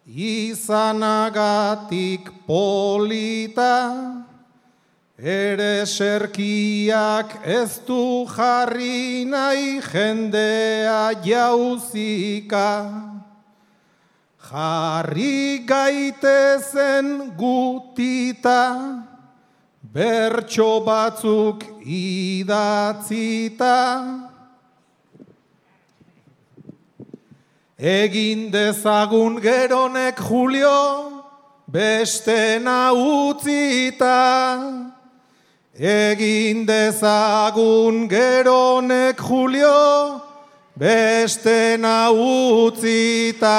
izanagatik polita, ereserkiak ez du jarri nahi jendea jauzika. Jarri gaitezen gutita, bertso batzuk idatzita, egin dezagun geronek Julio, bestena utzita. Egin dezagun geronek Julio, bestena utzita.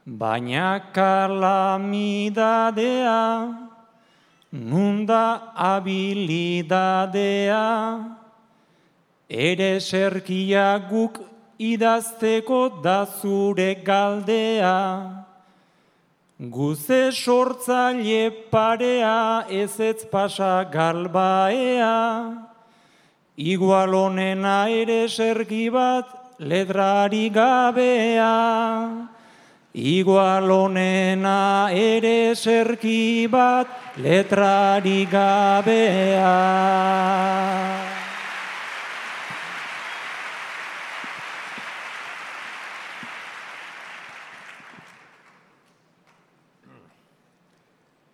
Baina kalamidadea, nunda habilidadea, ere serkia guk idazteko da zure galdea. Guze sortzaile parea, ezetz pasa galbaea, igual honena ere serki bat letrari gabea. Igual honena ere serki bat letrari gabea.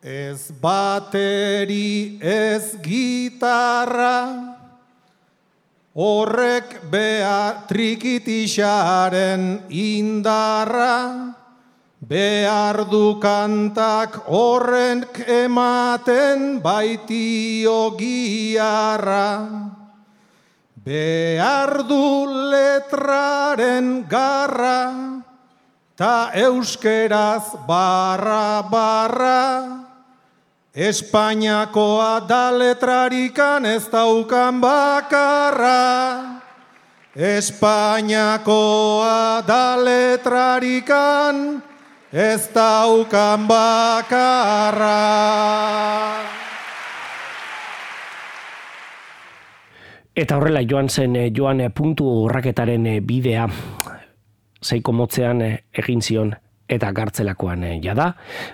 Ez bateri ez gitarra, horrek behar trikitixaren indarra, behar du kantak horrek ematen baitio giarra. Behar du letraren garra, ta euskeraz barra barra. Espainiakoa da letrarikan ez daukan bakarra. Espainiakoa da letrarikan ez daukan bakarra. Eta horrela joan zen joan puntu urraketaren bidea, zeiko motzean egin zion eta gartzelakoan jada,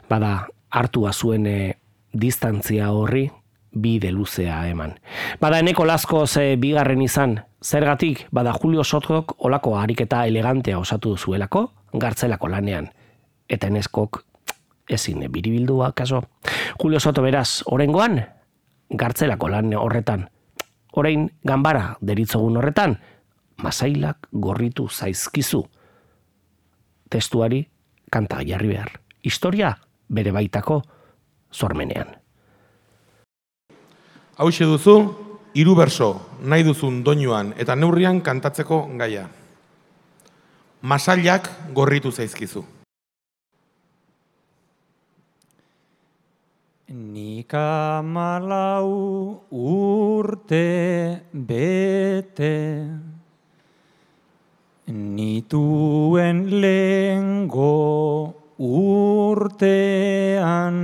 bada hartua zuen distantzia horri bide luzea eman. Bada eneko laskoz bigarren izan, zergatik bada Julio Sotok olako ariketa elegantea osatu zuelako gartzelako lanean. Eta eneskok ezin biribildua kaso. Julio Soto beraz, orengoan, gartzelako lan horretan. Orain ganbara deritzogun horretan, masailak gorritu zaizkizu. Testuari kanta jarri behar. Historia bere baitako sormenean. Hauxe duzu, hiru berso nahi duzun doinuan eta neurrian kantatzeko gaia. Masailak gorritu zaizkizu. Nik amalau urte bete, nituen lehengo urtean,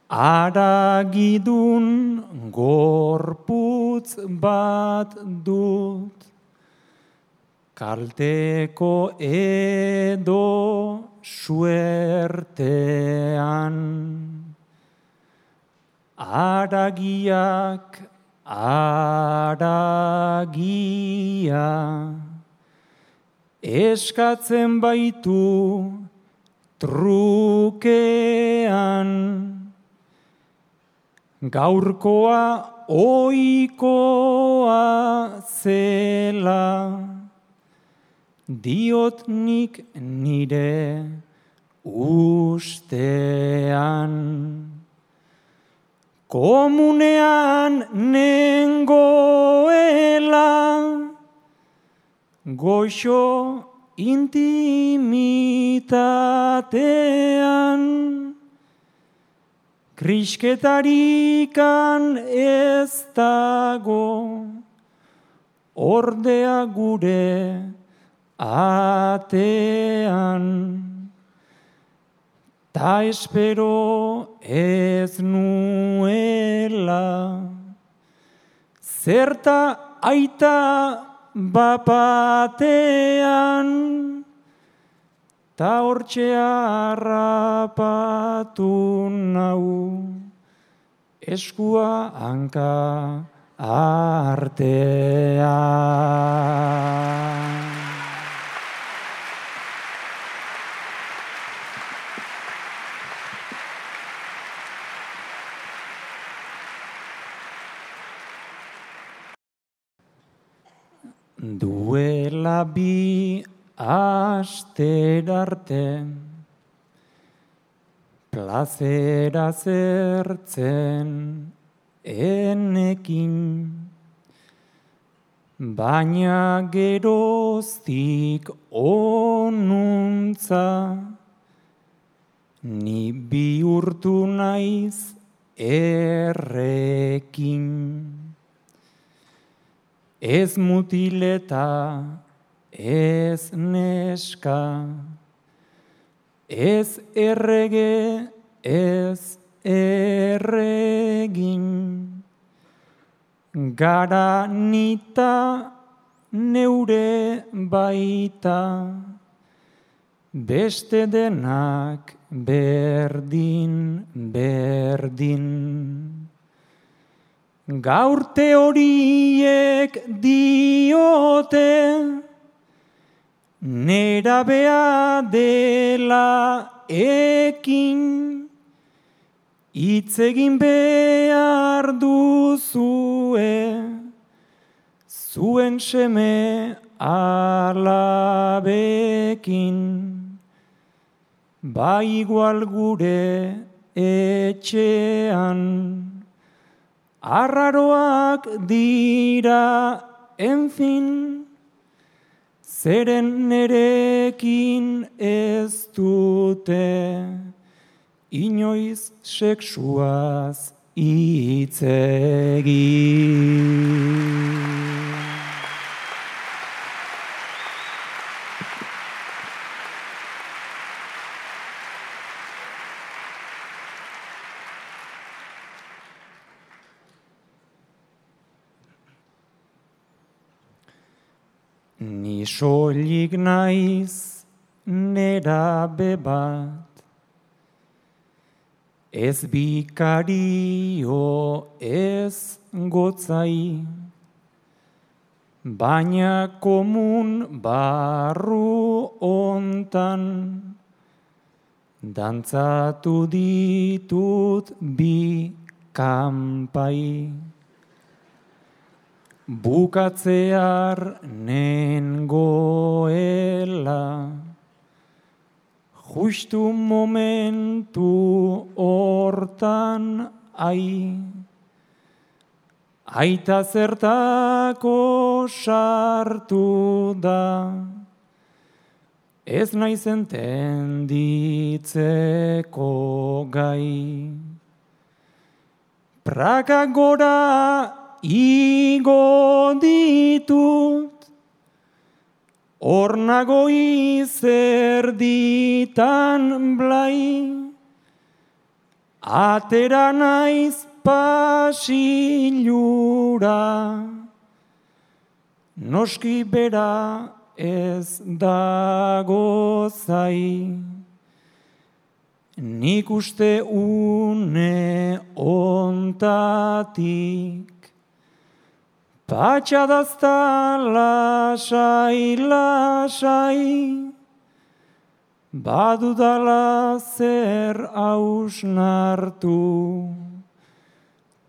aragidun gorputz bat dut, kalteko edo suertean. Aragiak, aragia, eskatzen baitu trukean. Gaurkoa ohikoa zela, diot nik nire ustean. Komunean nengoela, goxo intimitatean, krisketarikan ez dago, ordea gure atean. Ta espero ez nuela, zerta aita bapatean, ta hortxe harrapatu nau, eskua hanka artean. Duela bi asterarte, plazera zertzen enekin, baina geroztik onuntza, ni bihurtu naiz errekin. Ez mutileta, ez neska, ez errege, ez erregin. Gara nita neure baita, beste denak berdin, berdin. Gaur teoriek diote, nerabea dela ekin, hitz egin behar duzue, zuen seme alabekin, ba igual gure etxean, arraroak dira, enfin, zeren nerekin ez dute, inoiz sexuaz hitz egin. Ni soilik naiz nerabe bat, ez bikario ez gotzai, baina komun barru ontan, dantzatu ditut bi kanpai. Bukatzear nengoela, justu momentu hortan ai, aita zertako sartu da, ez naiz entenditzeko gai. Praka gora igo ditut, hor nago izerditan blai, atera naiz pasilura, noski bera ez dago zai, nik uste une ontatik, patxadazta lasai, lasai, badudala zer hausnartu,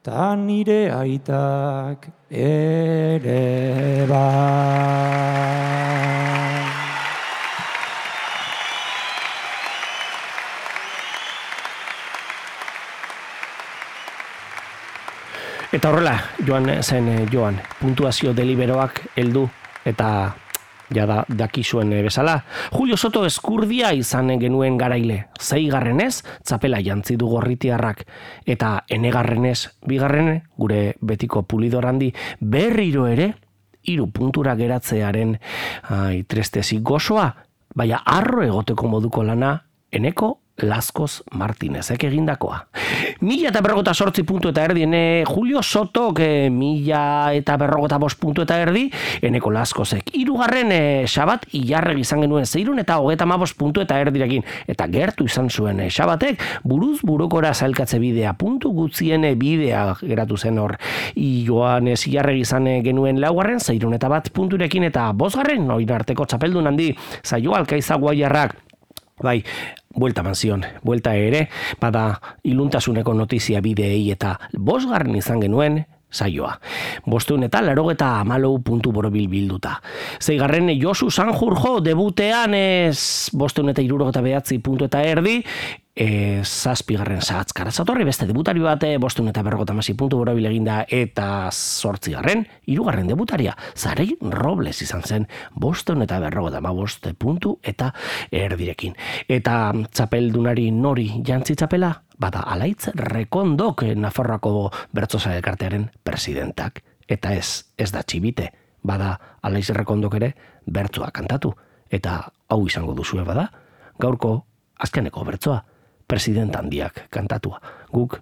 ta nire aitak ere bai. Eta horrela, joan zen joan, puntuazio deliberoak heldu eta jada dakizuen bezala. Julio Soto Eskurdia izan genuen garaile, zeigarrenez txapela jantzi du gorritiarrak, eta enegarrenez bigarren gure betiko Pulidor handi berriro ere hiru puntura geratzearen ai, trestezi gozoa, baina arro egoteko moduko lana eneko Laskoz Martinezek egindakoa. Mila eta berrogota sortzi puntu eta erdi, ene Julio Sotok e, mila eta berrogota bost puntu eta erdi, eneko Laskozek. Hirugarren e, Xabat Ilarregi izan genuen zeirun eta hogeta amabost puntu eta erdirekin. Eta gertu izan zuen e, Xabatek, buruz burukora zailkatze bidea, puntu gutzien bidea geratu zen hor. Joanes Ilarregi izan genuen laugarren, zeirun eta bat punturekin eta bosgarren, oin arteko txapeldun handi, Zaio Alkaiza Guaiarrak. Bai, buelta manzion, buelta ere, bada iluntasuneko notizia bideei eta bosgarren izan genuen saioa. Bosteun eta larogeta amalou puntu borobil bilduta. Zeigarren Josu Sanjurjo debutean ez bosteun eta irurogeta behatzi puntu eta erdi, e, zazpigarren Sahatzkara zatorri beste debutari bat, bosteun eta berrogeta masi puntu borobil eginda eta zortzigarren, hirugarren debutaria, Zarei Robles izan zen, bosteun eta berrogeta amabost puntu eta erdirekin. Eta txapeldunari nori jantzi txapela? Bada Alaitz Rekondok Nafarroako Bertsosa elkartearen presidentak. Eta ez, ez da txibite. Bada Alaitz Rekondok ere bertsoa kantatu. Eta hau izango duzue bada, gaurko azkeneko bertsoa, president handiak kantatua. Guk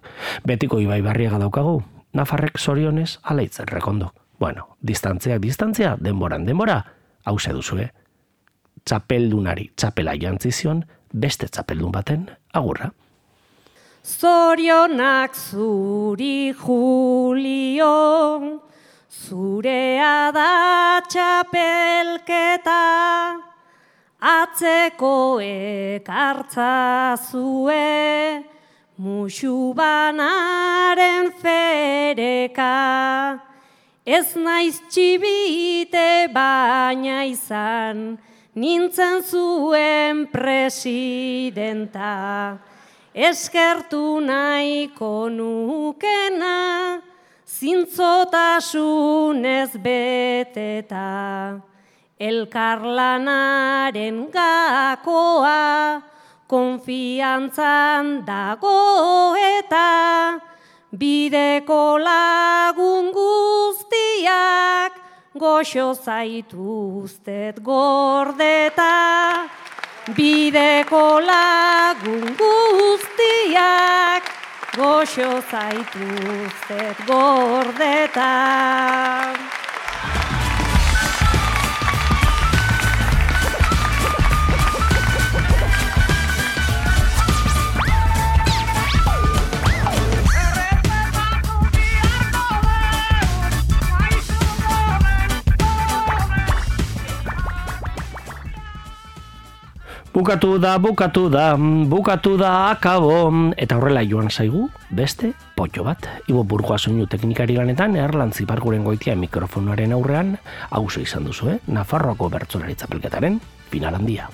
betiko Ibai Barriaga daukagu, Nafarrek zorionez Alaitz Rekondok. Bueno, distantziak distantzia, denboran denbora, hau ze duzue. Txapeldunari txapela jantzizion, beste txapeldun baten agurra. Zorionak zuri Julio, zurea da txapelketa, atzeko ekartza zue, musu banaren fereka. Ez naiz txibite baina izan, nintzen zuen presidenta. Eskertu nahiko nukena, zintzotasunez beteta. Elkarlanaren gakoa, konfiantzan dago eta bideko lagun guztiak goxo zaituztet gordeta. Bideko lagun guztiak goxo zaituztet gordeta. Bukatu da, bukatu da, bukatu da, akabo, eta horrela joan zaigu, beste, potxo bat. Ibo Burgoa soinu teknikari lanetan, Erlantzi Parkuren goitia mikrofonoaren aurrean, hauzo izan duzu, eh? Nafarroako bertsolari txapelketaren final handia.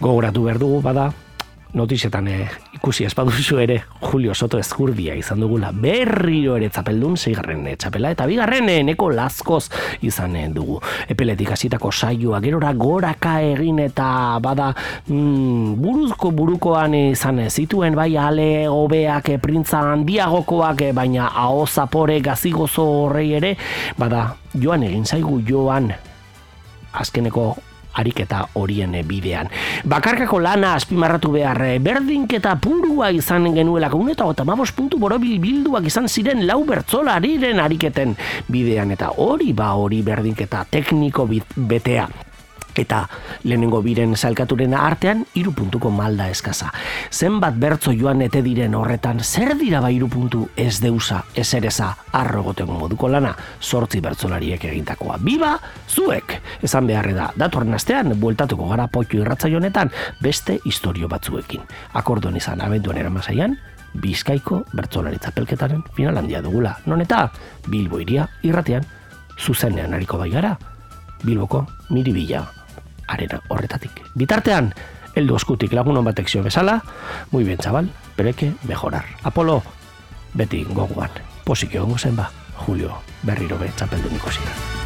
Gogoratu behar dugu, bada, notizietan eh, ikusi espaduzu ere, Julio Soto ezkurdia izan dugula, berriro ere txapeldun, zeigarren eh, txapela, eta bigarren eh, neko Laskoz izan eh, dugu. Epeletik hasitako saioa, gerora goraka egin eta bada mm, buruzko burukoan izan eh, zituen, bai ale hobeak, eh, printza handiagokoak, eh, baina aho zapore gazigozo horrei ere, bada joan egin zaigu joan azkeneko ariketa horien bidean. Bakarkako lana azpimarratu behar, berdinketa purua izan genuelako, uneta eta hamabost puntu borobil bilduak izan ziren lau bertsolariren ariketen bidean, eta hori ba hori berdinketa tekniko betea. Eta lehenengo biren zailkaturen artean, hiru puntuko malda eskaza. Zenbat bertso joan ete diren horretan, zer dira ba hiru puntu ez deusa, ez ereza, arrogoteko moduko lana, sortzi bertsolariek egintakoa. Biba, zuek! Esan beharre da, datorren astean, bueltatuko gara potxo irratzaio honetan, beste historio batzuekin. Akordon izan abenduan eramasaian, Bizkaiko bertsolari txapelketaren final handia dugula. Non eta, Bilbo iria irratean, zuzenean ariko bai gara, Bilboko Miribilla arena horretatik. Bitartean, heldu eskutik lagunon batek zio bezala, muy bien, chaval, pero hay que mejorar. Apolo, beti gogoan, posik egongo zen ba, Julio berriro be txapeldun ikositan.